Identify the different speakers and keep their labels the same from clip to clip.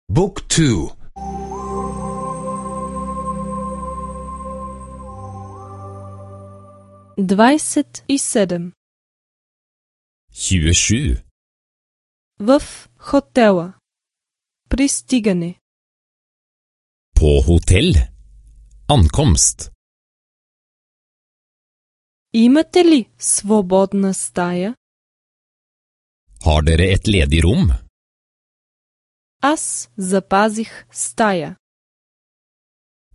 Speaker 1: Book 2.
Speaker 2: 27.
Speaker 3: 27.
Speaker 2: В хотела. Пристигане.
Speaker 3: På hotell. Ankomst.
Speaker 2: Имате ли свободна стая?
Speaker 3: Har dere et ledig rom?
Speaker 2: Аз запазих стая.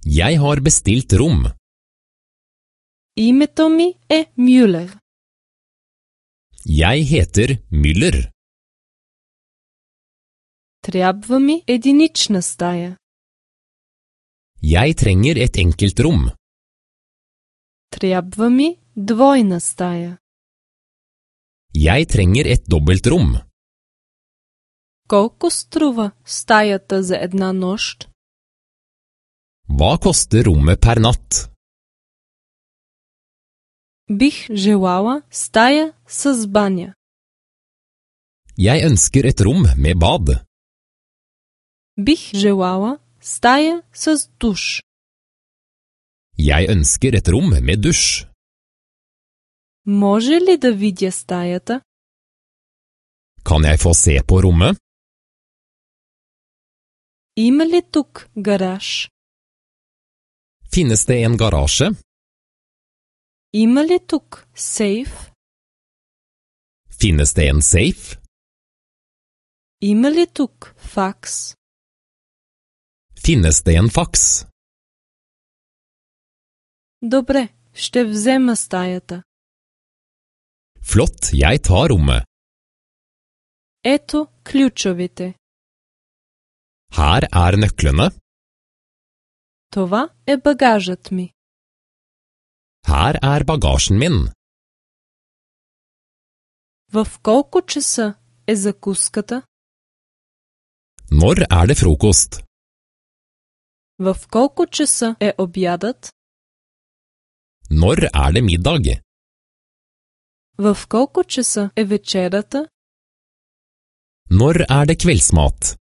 Speaker 3: Jeg har bestilt rom.
Speaker 2: Името ми е Мюлер.
Speaker 3: Jeg heter Müller.
Speaker 2: Трябва ми единична стая.
Speaker 3: Jeg trenger et enkelt rom.
Speaker 2: Трябва ми двойна стая.
Speaker 3: Jeg trenger et dobbelt rom.
Speaker 2: Колко струва стаята за една нощ?
Speaker 3: Hva koster rommet per natt?
Speaker 2: Бих желала стая с баня.
Speaker 3: Jeg ønsker et rom med bad.
Speaker 2: Бих желала стая с душ.
Speaker 3: Jeg ønsker et rom med dusj.
Speaker 2: Може ли да видя стаята?
Speaker 3: Kan jeg få se på rommet?
Speaker 2: Има ли тук гараж?
Speaker 3: Finnes det en garasje?
Speaker 2: Има ли тук сейф?
Speaker 3: Finnes det en safe?
Speaker 2: Има ли тук факс?
Speaker 3: Finnes det en fax?
Speaker 2: Добре, ще взема стаята.
Speaker 3: Flott, jeg tar rommet.
Speaker 2: Ето ключовите.
Speaker 3: Her er nøklene.
Speaker 2: Това е багажът ми.
Speaker 3: Her er bagasjen min.
Speaker 2: В колко часа е закуската?
Speaker 3: Når er det frokost?
Speaker 2: В колко часа е обядът?
Speaker 3: Når er det middag?
Speaker 2: В колко часа е вечерята?
Speaker 3: Når er det kveldsmat?